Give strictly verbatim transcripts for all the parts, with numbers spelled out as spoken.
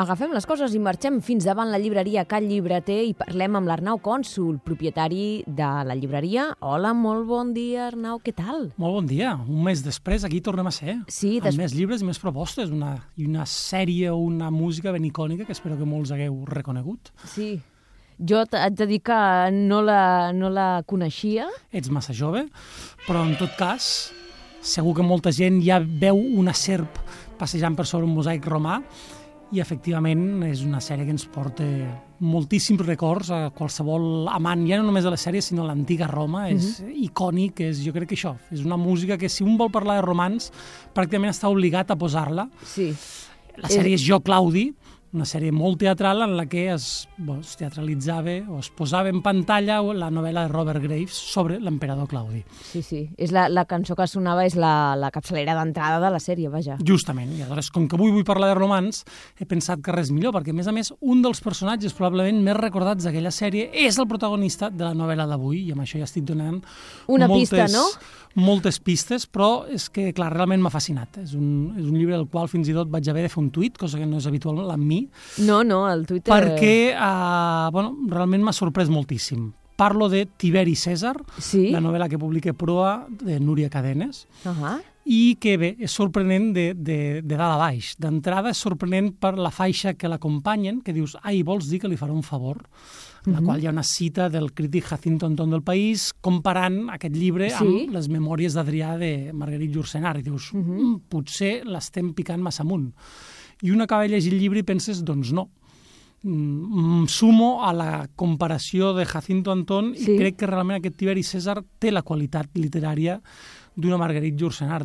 Agafem les coses i marxem fins davant la llibreria Cal Llibreter i parlem amb l'Arnau Cònsul, propietari de la llibreria. Hola, molt bon dia, Arnau, què tal? Molt bon dia. Un mes després aquí tornem a ser. Sí, amb des... més llibres i més propostes. Una, I una sèrie o una música ben icònica que espero que molts hagueu reconegut. Sí. Jo haig de dir que no la, no la coneixia. Ets massa jove, però en tot cas segur que molta gent ja veu una serp passejant per sobre un mosaic romà i efectivament és una sèrie que ens porta moltíssims records a qualsevol amant, ja no només de la sèrie, sinó l'antiga Roma. És uh-huh. icònic, és, jo crec que això, és una música que si un vol parlar de romans pràcticament està obligat a posar-la. Sí. La sèrie és Jo, Claudi, una sèrie molt teatral en la que es, bueno, es teatralitzava o es posava en pantalla la novel·la de Robert Graves sobre l'emperador Claudi. Sí, sí. És la, la cançó que sonava és la, la capçalera d'entrada de la sèrie, vaja. Justament. I aleshores, com que avui vull parlar de romans, he pensat que res millor, perquè a més a més un dels personatges probablement més recordats d'aquella sèrie és el protagonista de la novel·la d'avui, i amb això ja estic donant una moltes, pista, no? moltes pistes, però és que, clar, realment m'ha fascinat. És un, és un llibre del qual fins i tot vaig haver de fer un tuit, cosa que no és habitual en mi. No, no, el Twitter... Perquè, uh, bueno, realment m'ha sorprès moltíssim. Parlo de Tiberi Cèsar, sí? la novel·la que publica Proa, de Núria Cadenes, uh-huh. i que, bé, és sorprenent de, de, de dalt a baix. D'entrada és sorprenent per la faixa que l'acompanyen, que dius, ai, vols dir que li farà un favor? En la uh-huh. qual hi ha una cita del crític Jacinto Antón del País comparant aquest llibre sí? amb les memòries d'Adrià de Marguerite Yourcenar. I dius, uh-huh. mm, potser l'estem picant massa amunt. I un acaba de llegir el llibre i penses, doncs no. Mm, sumo a la comparació de Jacinto Antón sí? i crec que realment aquest Tiberi Cèsar té la qualitat literària d'una Marguerite Yourcenar.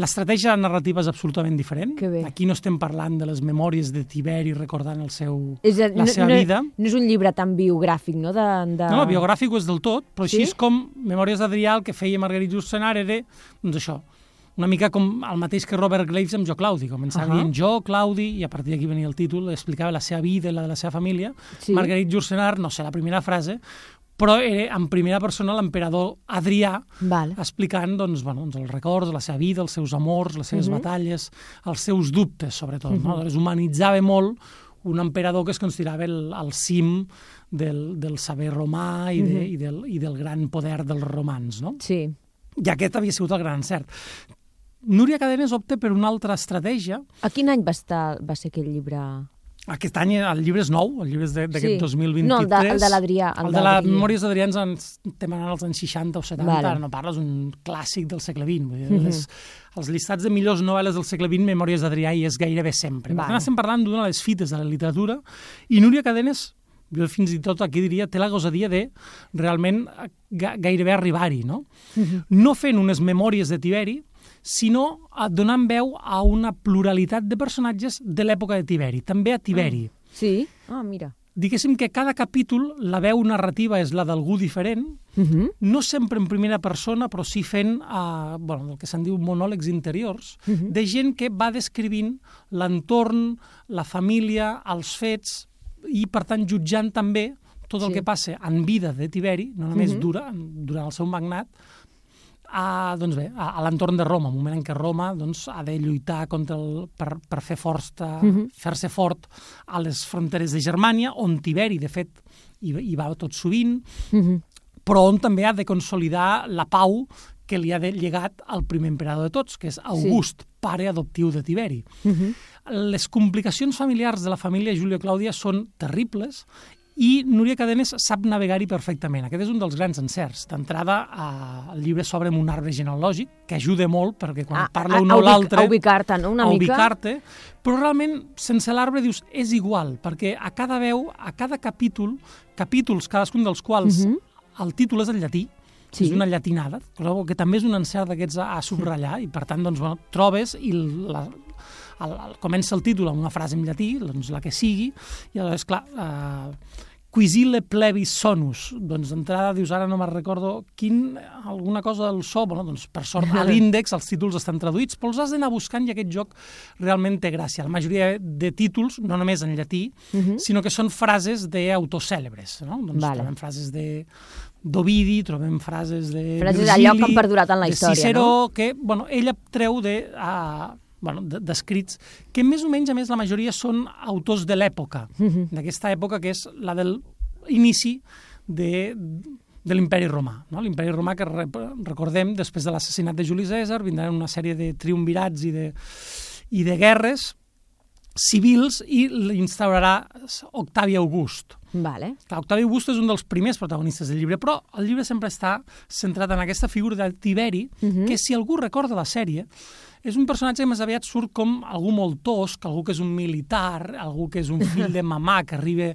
L'estratègia narrativa és absolutament diferent. Aquí no estem parlant de les memòries de Tiberi recordant el seu, és a, la no, seva no, vida. No és un llibre tan biogràfic, no? De, de... No, biogràfic ho és del tot, però sí? així és com Memòries d'Adrià, el que feia Marguerite Yourcenar era, doncs això, una mica com el mateix que Robert Graves amb Jo, Claudi. Començava uh-huh. dient Jo, Claudi, i a partir d'aquí venia el títol, explicava la seva vida i la de la seva família. Sí. Marguerite Yourcenar, no sé la primera frase, però era en primera persona l'emperador Adrià vale. explicant doncs, bueno, doncs els records, la seva vida, els seus amors, les seves uh-huh. batalles, els seus dubtes, sobretot. Uh-huh. No? Doncs humanitzava molt un emperador que es considerava el, el cim del, del saber romà i, de, uh-huh. i, del, i del gran poder dels romans. No? Sí. I aquest havia sigut el gran encert. Núria Cadenes opta per una altra estratègia. A quin any va, estar, va ser aquell llibre? Aquest any el llibre és nou, el llibre és d'aquest sí. dos mil vint-i-tres. No, el de, el de l'Adrià. El, el de les Memòries d'Adrià ens estem anant als anys seixanta o setanta, vale. Ara no parles, un clàssic del segle vint. Vull dir, mm-hmm. les, els llistats de millors novel·les del segle vint, Memòries d'Adrià hi és gairebé sempre. Vale. Per tant, estem parlant d'una de les fites de la literatura, i Núria Cadenes, jo fins i tot aquí diria, té la gosadia de realment gairebé arribar-hi, no? Mm-hmm. No fent unes memòries de Tiberi, sinó donant veu a una pluralitat de personatges de l'època de Tiberi, també a Tiberi. Ah, sí? Ah, mira. Diguéssim que cada capítol la veu narrativa és la d'algú diferent, uh-huh. no sempre en primera persona, però sí fent uh, bueno, el que se'n diu monòlegs interiors, uh-huh. de gent que va descrivint l'entorn, la família, els fets, i per tant jutjant també tot el sí. que passa en vida de Tiberi, no només uh-huh. dura, durant el seu magnat, a, doncs bé, a, a l'entorn de Roma, un moment en què Roma doncs, ha de lluitar contra el, per, per fer força, uh-huh. fer-se fort a les fronteres de Germània, on Tiberi, de fet, hi, hi va tot sovint, uh-huh. però on també ha de consolidar la pau que li ha de llegat al primer emperador de tots, que és August, sí. pare adoptiu de Tiberi. Uh-huh. Les complicacions familiars de la família Júlia Clàudia són terribles, i Núria Cadenes sap navegar-hi perfectament. Aquest és un dels grans encerts. D'entrada, eh, el llibre s'obre amb un arbre genealògic, que ajuda molt, perquè quan a, parla a, un o l'altre... A ubicar-te, no? Una a mica. ubicar-te, però realment, sense l'arbre, dius, és igual, perquè a cada veu, a cada capítol, capítols, cadascun dels quals uh-huh. el títol és en llatí, sí. és una llatinada, que també és un encert d'aquests a, a subratllar, i per tant, doncs, bueno, trobes i la... El, el, comença el títol amb una frase en llatí, doncs la que sigui, i aleshores, clar, eh, quisile plebis sonus, doncs d'entrada dius, ara no me'n recordo quin, alguna cosa del so, bueno, doncs per sort a l'índex els títols estan traduïts, però els has d'anar buscant i aquest joc realment té gràcia. La majoria de títols, no només en llatí, uh-huh. sinó que són frases d'autors cèlebres, no? Doncs vale. Trobem frases de d'Ovidi, trobem frases de frases Virgili, d'allò que han perdurat en la història, de Ciceró, no? que, bueno, ella treu de... Uh, bueno, d'escrits, que més o menys, a més, la majoria són autors de l'època, uh-huh. d'aquesta època que és la del inici de, de l'imperi romà. No? L'imperi romà que, recordem, després de l'assassinat de Juli Cèsar, vindran una sèrie de triumvirats i de, i de guerres civils i l'instaurarà Octavi August. Vale. Octavi August és un dels primers protagonistes del llibre, però el llibre sempre està centrat en aquesta figura de Tiberi, uh-huh. que si algú recorda la sèrie, és un personatge que més aviat surt com algú molt tosc, algú que és un militar, algú que és un fill de mamà, que arriba,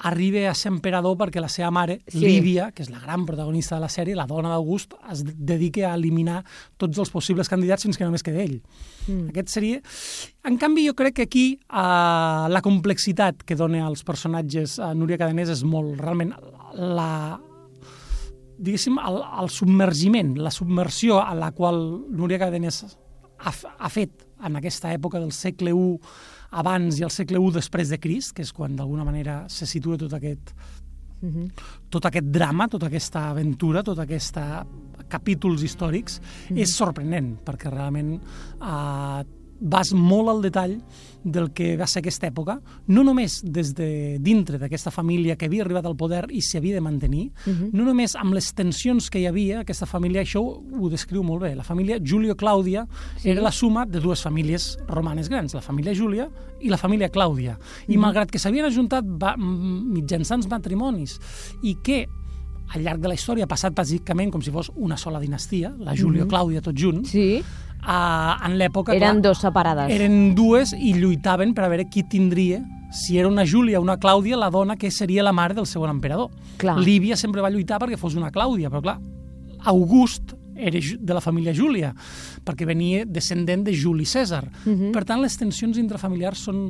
arriba a ser emperador perquè la seva mare, sí. Lívia, que és la gran protagonista de la sèrie, la dona d'August, es dedica a eliminar tots els possibles candidats fins que només queda ell. Mm. Aquest seria... En canvi, jo crec que aquí uh, la complexitat que dona als personatges a uh, Núria Cadenès és molt, realment, la... diguéssim, el, el submergiment, la submersió a la qual Núria Cadenès ha, ha fet en aquesta època del segle u abans i el segle u després de Crist, que és quan d'alguna manera se situa tot aquest, uh-huh. tot aquest drama, tota aquesta aventura, tot aquests capítols històrics, uh-huh. és sorprenent, perquè realment eh, vas molt al detall del que va ser aquesta època, no només des de dintre d'aquesta família que havia arribat al poder i s'havia de mantenir, uh-huh. no només amb les tensions que hi havia, aquesta família, això ho, ho descriu molt bé, la família Julio-Clàudia sí. era la suma de dues famílies romanes grans, la família Júlia i la família Clàudia, i uh-huh. malgrat que s'havien ajuntat va, mitjançant matrimonis i que al llarg de la història ha passat bàsicament com si fos una sola dinastia, la Júlia-Clàudia uh-huh. tots junts, sí. Uh, en l'època... Eren clar, dos separades. Eren dues i lluitaven per a veure qui tindria, si era una Júlia o una Clàudia, la dona que seria la mare del segon emperador. Clar. Lívia sempre va lluitar perquè fos una Clàudia, però clar, August era de la família Júlia, perquè venia descendent de Juli Cèsar. Uh-huh. Per tant, les tensions intrafamiliars són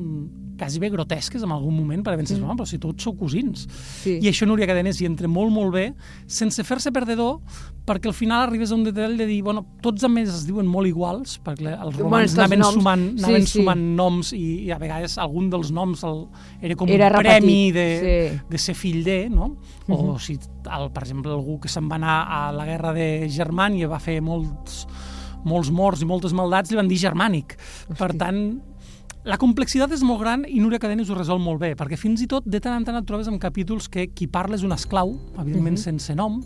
quasi bé grotesques en algun moment, perquè penses, uh-huh. però si tots sou cosins. Sí. I això Núria Cadenès hi entra molt, molt bé, sense fer-se perdedor, perquè al final arribes a un detall de dir, bueno, tots a més es diuen molt iguals, perquè els romans bueno, anaven, sumant, anaven sí, sumant sí. noms i, i a vegades algun dels noms el, era com era un repetit. Premi de, sí. de ser fill de, no? O uh-huh. si, el, per exemple, algú que se'n va anar a la guerra de Germània va fer molts, molts morts i moltes maldats, li van dir germànic. Hosti. Per tant, la complexitat és molt gran i Núria Cadenès ho resol molt bé, perquè fins i tot de tant en tant et trobes en capítols que qui parla és un esclau, evidentment uh-huh. sense nom,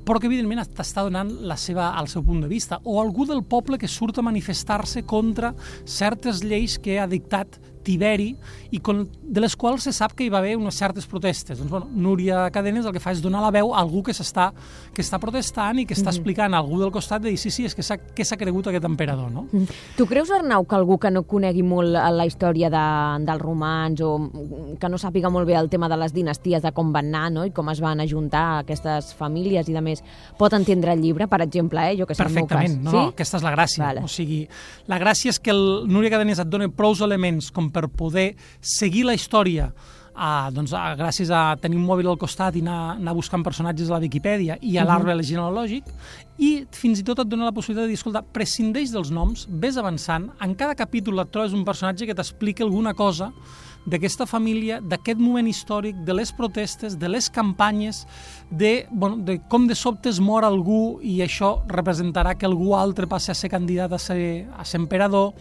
però que evidentment t'està donant la seva, el seu punt de vista, o algú del poble que surt a manifestar-se contra certes lleis que ha dictat Tiberi i con, de les quals se sap que hi va haver unes certes protestes. Doncs, bueno, Núria Cadenès el que fa és donar la veu a algú que s'està que està protestant i que està mm-hmm. explicant a algú del costat de dir sí, sí, és que s'ha, que s'ha cregut aquest emperador, no? Mm. Tu creus, Arnau, que algú que no conegui molt la història de, dels romans o que no sàpiga molt bé el tema de les dinasties, de com van anar, no? I com es van ajuntar aquestes famílies i de més, pot entendre el llibre, per exemple, eh? Jo que sé, perfectament, el meu cas. No, sí? no, aquesta és la gràcia. Vale. O sigui, la gràcia és que el Núria Cadenès et dona prous elements com per poder seguir la història uh, doncs, uh, gràcies a tenir un mòbil al costat i anar, anar buscant personatges a la Viquipèdia i a l'arbre uh-huh. genealògic, i fins i tot et dona la possibilitat de dir, escolta, prescindeix dels noms, ves avançant, en cada capítol et trobes un personatge que t'explica alguna cosa d'aquesta família, d'aquest moment històric, de les protestes, de les campanyes, de, bueno, de com de sobte es mor algú i això representarà que algú altre passi a ser candidat a ser, a ser emperador,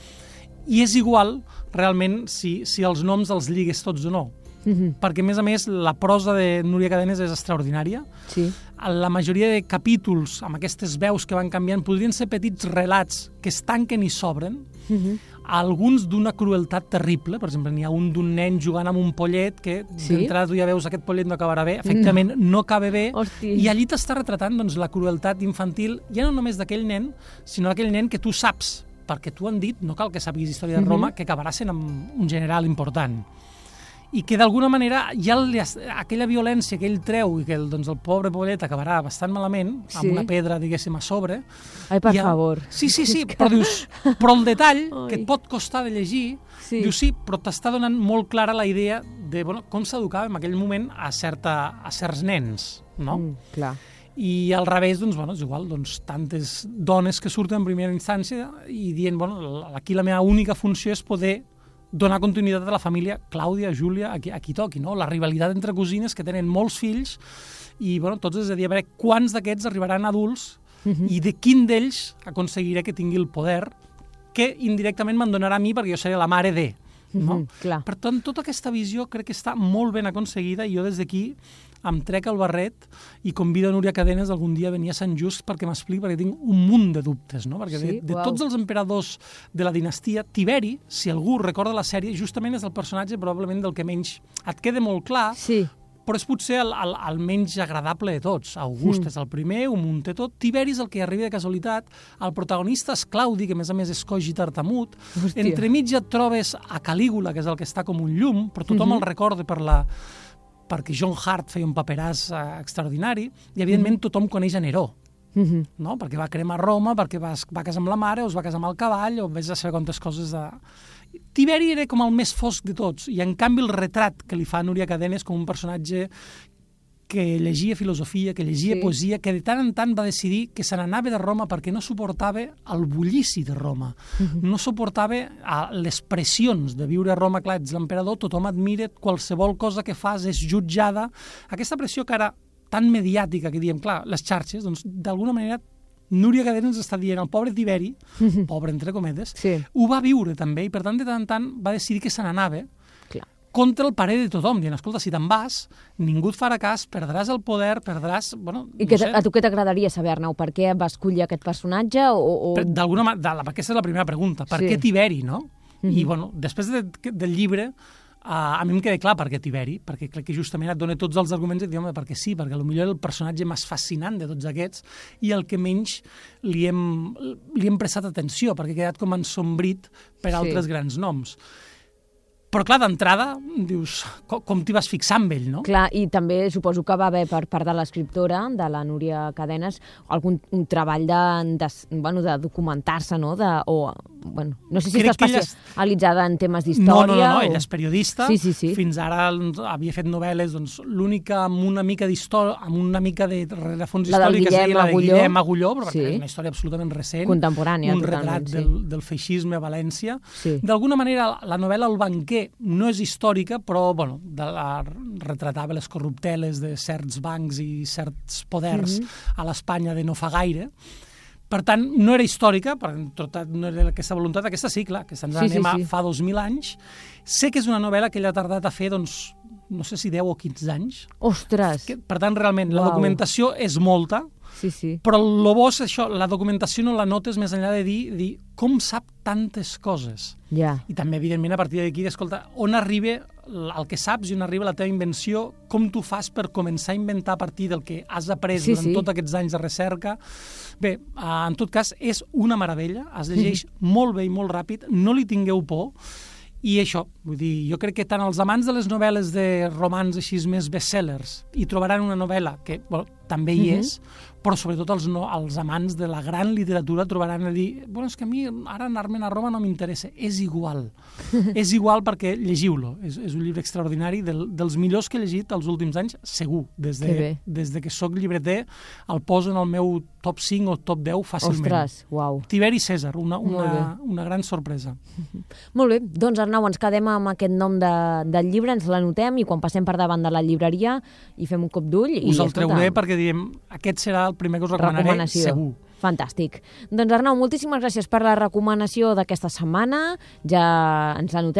i és igual realment si, si els noms els lligues tots o no. Mm-hmm. Perquè, a més a més, la prosa de Núria Cadenès és extraordinària. Sí. La majoria de capítols, amb aquestes veus que van canviant, podrien ser petits relats que es tanquen i s'obren, mm-hmm. alguns d'una crueltat terrible. Per exemple, n'hi ha un d'un nen jugant amb un pollet que sí? d'entrada tu ja veus aquest pollet no acabarà bé, efectivament no, no acaba bé. Hosti. I allí t'està retratant doncs, la crueltat infantil, ja no només d'aquell nen, sinó d'aquell nen que tu saps, perquè tu han dit, no cal que sàpiguis història de Roma, mm-hmm. que acabarà sent un general important. I que d'alguna manera ja aquella violència que ell treu i que el, doncs, el pobre poblet acabarà bastant malament, sí. amb una pedra, diguéssim, a sobre. Ai, per ha... favor. Sí, sí, sí, però dius, però el detall Ai. que et pot costar de llegir, sí. dius sí, però t'està donant molt clara la idea de bueno, com s'educava en aquell moment a, certa, a certs nens, no? Mm, clar. I al revés, doncs, bueno, és igual, doncs, tantes dones que surten en primera instància i dient, bueno, aquí la meva única funció és poder donar continuïtat a la família Clàudia, Júlia, a qui, a qui toqui, no? La rivalitat entre cosines que tenen molts fills i, bueno, tots és a dir, a veure quants d'aquests arribaran adults uh-huh. i de quin d'ells aconseguiré que tingui el poder que indirectament me'n donarà a mi perquè jo seré la mare de. No? Mm-hmm, clar. Per tant, tota aquesta visió crec que està molt ben aconseguida i jo des d'aquí em trec el barret i convido a Núria Cadenes algun dia a venir a Sant Just perquè m'expliqui, perquè tinc un munt de dubtes, no? Perquè sí? de, de wow. tots els emperadors de la dinastia, Tiberi, si algú recorda la sèrie, justament és el personatge probablement del que menys et queda molt clar, sí. però és potser el, el, el menys agradable de tots. August mm. és el primer, ho munta tot. Tiberi és el que arriba de casualitat. El protagonista és Claudi, que a més a més és coix i tartamut. Hòstia. Entremig et trobes a Calígula, que és el que està com un llum, però tothom mm-hmm. el recorda per la... perquè John Hart feia un paperàs eh, extraordinari, i evidentment mm-hmm. tothom coneix a Neró, mm-hmm. no? Perquè va cremar Roma, perquè va, va casar amb la mare, o es va casar amb el cavall, o vés a saber quantes coses de... Tiberi era com el més fosc de tots, i en canvi el retrat que li fa Núria Cadenes com un personatge que llegia filosofia, que llegia sí. poesia, que de tant en tant va decidir que se n'anava de Roma perquè no suportava el bullici de Roma, mm-hmm. no suportava les pressions de viure a Roma. Clar, ets l'emperador, tothom admira, qualsevol cosa que fas és jutjada. Aquesta pressió que ara tan mediàtica que diem, clar, les xarxes, doncs d'alguna manera Núria Cadenes ens està dient el pobre Tiberi, mm-hmm. pobre entre cometes, sí. ho va viure també, i per tant de tant en tant va decidir que se n'anava contra el parer de tothom, dient, escolta, si te'n vas, ningú et farà cas, perdràs el poder, perdràs... Bueno, I que, no sé. A tu què t'agradaria saber, Arnau? Per què vas escollir aquest personatge? O, o... D'alguna manera, aquesta és la primera pregunta. Per sí. què Tiberi, no? Mm-hmm. I, bueno, després de, del llibre, uh, a mi em queda clar per què Tiberi, perquè crec que justament et dona tots els arguments i et diuen perquè sí, perquè potser és el personatge més fascinant de tots aquests i el que menys li hem, li hem prestat atenció, perquè ha quedat com ensombrit per sí. altres grans noms. Però, clar, d'entrada, dius, com, com t'hi vas fixar amb ell, no? Clar, i també suposo que va haver per part de l'escriptora, de la Núria Cadenes, algun un treball de, de, bueno, de documentar-se, no? De, o, bueno, no sé si Crec està especialitzada ella... en temes d'història. No, no, no, no. O... ella és periodista. Sí, sí, sí. Fins ara havia fet novel·les, doncs, l'única amb una mica d'història, amb una mica de rerefons històric, que és la de Guillem Agulló, però sí. és una història absolutament recent. Contemporània, un totalment, retrat sí. del, del feixisme a València. Sí. D'alguna manera, la novel·la El banquer no és històrica, però bueno, de la, retratava les corrupteles de certs bancs i certs poders mm-hmm. a l'Espanya de no fa gaire. Per tant, no era històrica, per tot no era aquesta voluntat. Aquesta sí, clar, que se'ns sí, anem sí, sí. a fa dos mil anys. Sé que és una novel·la que ella ha tardat a fer, doncs, no sé si deu o quinze anys. Ostres! Que, per tant, realment, Uau. La documentació és molta, sí, sí. però el bo és això, la documentació no la notes més enllà de dir, dir com sap tantes coses. Yeah. I també, evidentment, a partir d'aquí, escolta, on arriba el que saps i on arriba la teva invenció, com tu fas per començar a inventar a partir del que has après sí, durant sí. tots aquests anys de recerca. Bé, en tot cas, és una meravella, es llegeix mm-hmm. molt bé i molt ràpid, no li tingueu por, i això, vull dir, jo crec que tant els amants de les novel·les de romans així més bestsellers hi trobaran una novel·la que bueno, també hi mm-hmm. és, però sobretot els, no, els amants de la gran literatura trobaran a dir, bueno, és que a mi ara anar-me'n a Roma no m'interessa. És igual. És igual perquè llegiu-lo. És, és un llibre extraordinari, del, dels millors que he llegit els últims anys, segur. Des de, des de que sóc llibreter, el poso en el meu top cinc o top deu fàcilment. Ostres, uau. Tiberi Cèsar, una, una, una gran sorpresa. Molt bé, doncs Arnau, ens quedem amb aquest nom de, del llibre, ens l'anotem i quan passem per davant de la llibreria hi fem un cop d'ull. Us el treuré perquè diem, aquest serà el primer que us recomanaré, segur. Fantàstic. Doncs Arnau, moltíssimes gràcies per la recomanació d'aquesta setmana. Ja ens l'anotem.